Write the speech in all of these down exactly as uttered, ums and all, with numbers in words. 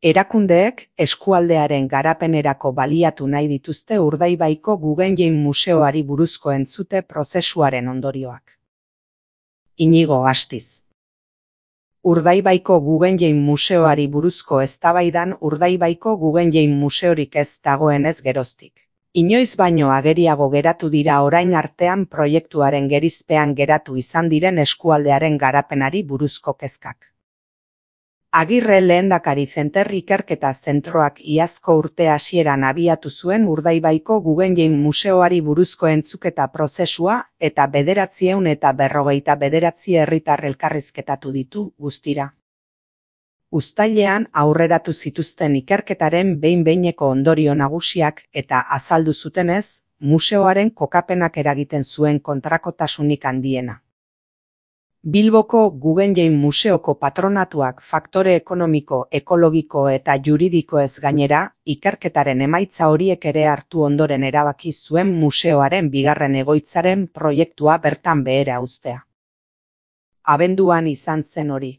Erakundeek eskualdearen garapenerako baliatu nahi dituzte Urdaibaiko Guggenheim Museoari buruzko entzute prozesuaren ondorioak. Inigo Astiz. Urdaibaiko Guggenheim Museoari buruzko eztabaidan Urdaibaiko Guggenheim Museorik ez dagoenez geroztik. Inoiz baino ageriago geratu dira orain artean proiektuaren gerizpean geratu izan diren eskualdearen garapenari buruzko kezkak. Agirre Lehendakari Zenter Ikerketa Zentroak iazko urte hasieran abiatu zuen Urdaibaiko Guggenheim Museoari buruzko entzuketa prozesua eta bederatziehun eta berrogeita bederatzi herritar elkarrizketatu ditu guztira. Uztailean aurreratu zituzten ikerketaren behin-behineko ondorio nagusiak eta azaldu zutenez, museoaren kokapenak eragiten zuen kontrakotasunik handiena. Bilboko Guggenheim Museoko patronatuak faktore ekonomiko, ekologiko eta juridikoez gainera, ikerketaren emaitza horiek ere hartu ondoren erabaki zuen museoaren bigarren egoitzaren proiektua bertan behera uztea. Abenduan izan zen hori.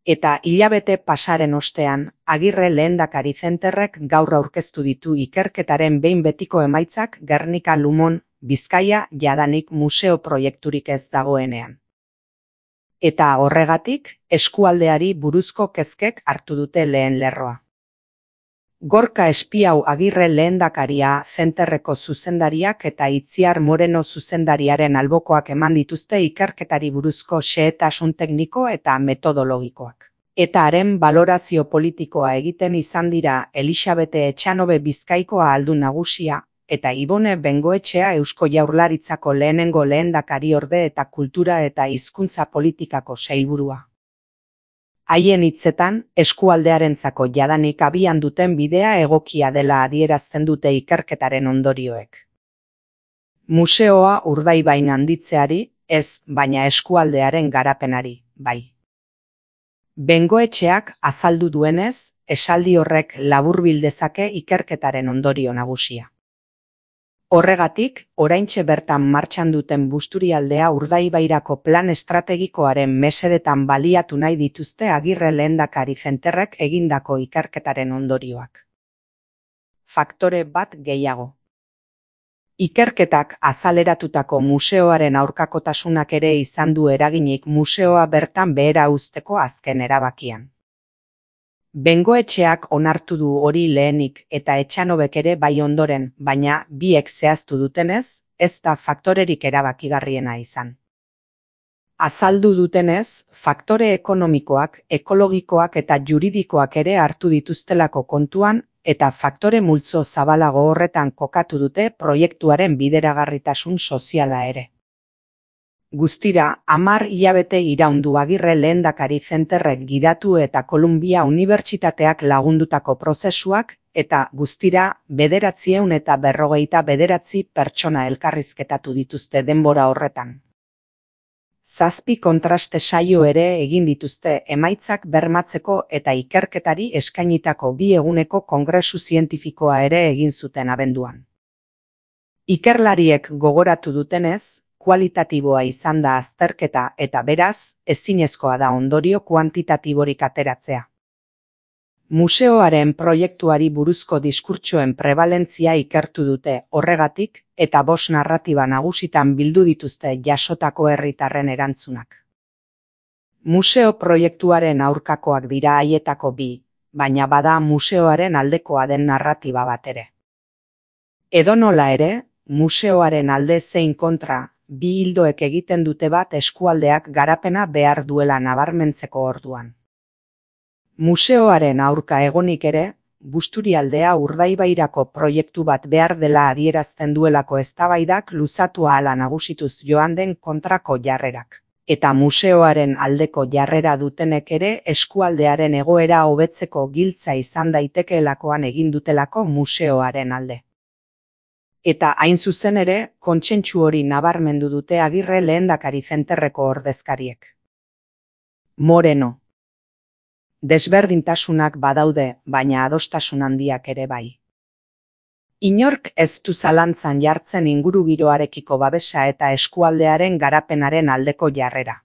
Eta hilabete pasaren ostean, Agirre Lehendakari Zenterrek gaur aurkeztu ditu ikerketaren behin betiko emaitzak Gernika Lumon, Bizkaia jadanik museo proiekturik ez dagoenean. Eta horregatik, eskualdeari buruzko kezkek hartu dute lehen lerroa. Gorka Espiau Agirre Lehendakaria Zenterreko zuzendariak eta Itziar Moreno zuzendariaren albokoak eman dituzte ikerketari buruzko xehetasun tekniko eta metodologikoak. Eta haren balorazio politikoa egiten izan dira Elisabete Etxanobe Bizkaikoa aldun nagusia, eta Ibone Bengoetxea Eusko Jaurlaritzako lehenengo lehendakariorde eta kultura eta hizkuntza politikako sailburua. Haien hitzetan, eskualdearentzako jadanik abian duten bidea egokia dela adierazten dute ikerketaren ondorioek. Museoa Urdaibain handitzeari, ez, baina eskualdearen garapenari, bai. Bengoetxeak azaldu duenez, esaldi horrek laburbil dezake ikerketaren ondorio nagusia. Horregatik, oraintxe bertan martxan duten Busturialdea Urdaibairako plan estrategikoaren mesedetan baliatu nahi dituzte Agirre Lehendakari Zenterrek egindako ikerketaren ondorioak. Faktore bat gehiago. Ikerketak azaleratutako museoaren aurkakotasunak ere izan du eraginik museoa bertan behera uzteko azken erabakian. Bengoetxeak onartu du hori lehenik eta Etxanobek ere bai ondoren, baina biek zehaztu dutenez, ez da faktorerik erabakigarriena izan. Azaldu dutenez, faktore ekonomikoak, ekologikoak eta juridikoak ere hartu dituztelako kontuan eta faktore multzo zabalago horretan kokatu dute proiektuaren bideragarritasun soziala ere. Guztira, hamar hilabete iraundu Agirre Lehendakari Zenterrek gidatu eta Kolumbia Unibertsitateak lagundutako prozesuak eta guztira bederatziehun eta berrogeita bederatzi pertsona elkarrizketatu dituzte denbora horretan. Zazpi kontraste saio ere egin dituzte emaitzak bermatzeko eta ikerketari eskainitako bi eguneko kongresu zientifikoa ere egin zuten abenduan. Ikerlariek gogoratu dutenez, kualitatiboa izan da azterketa eta beraz, ezinezkoa da ondorio kuantitatiborik ateratzea. Museoaren proiektuari buruzko diskurtsoen prebalentzia ikertu dute horregatik eta bost narratiba nagusitan bildu dituzte jasotako herritarren erantzunak. Museo proiektuaren aurkakoak dira haietako bi, baina bada museoaren aldekoa den narratiba bat ere. Edonola ere, museoaren alde zein kontra, bi hildoek egiten dute bat eskualdeak garapena behar duela nabarmentzeko orduan. Museoaren aurka egonik ere, Busturialdea Urdaibairako proiektu bat behar dela adierazten duelako eztabaidak luzatu ahala nagusituz joan den kontrako jarrerak. Eta museoaren aldeko jarrera dutenek ere eskualdearen egoera hobetzeko giltza izan daitekeelakoan egin dutelako museoaren alde. Eta hain zuzen ere, kontsentsu hori nabarmendu dute Agirre Lehendakari Zenterreko ordezkariek. Moreno. Desberdintasunak badaude, baina adostasun handiak ere bai. Inork ez du zalantzan jartzen ingurugiroarekiko babesa eta eskualdearen garapenaren aldeko jarrera.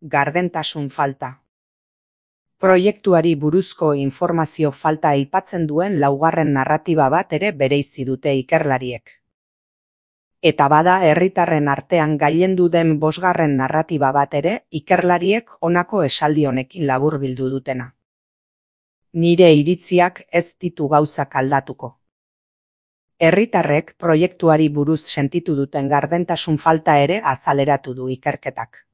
Gardentasun falta. Proiektuari buruzko informazio falta aipatzen duen laugarren narratiba bat ere bereizi dute ikerlariek. Eta bada herritarren artean gailendu den bosgarren narratiba bat ere ikerlariek honako esaldi honekin laburbildu dutena. Nire iritziak ez ditu gauzak aldatuko. Herritarrek proiektuari buruz sentitu duten gardentasun falta ere azaleratu du ikerketak.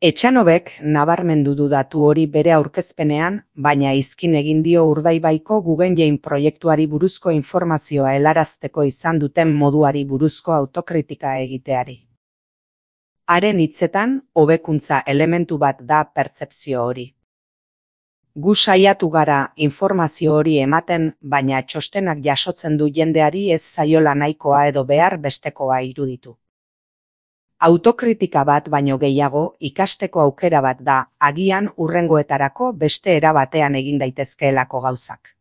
Etxanobek nabarmendu du datu hori bere aurkezpenean, baina izkin egin dio Urdaibaiko Guggenheim proiektuari buruzko informazioa helarazteko izan duten moduari buruzko autokritika egiteari. Haren hitzetan, hobekuntza elementu bat da pertzepzio hori. Gu saiatu gara informazio hori ematen, baina txostenak jasotzen du jendeari ez zaiola nahikoa edo behar bestekoa iruditu. Autokritika bat baino gehiago ikasteko aukera bat da, agian hurrengoetarako beste era batean egin daitezkeelako gauzak.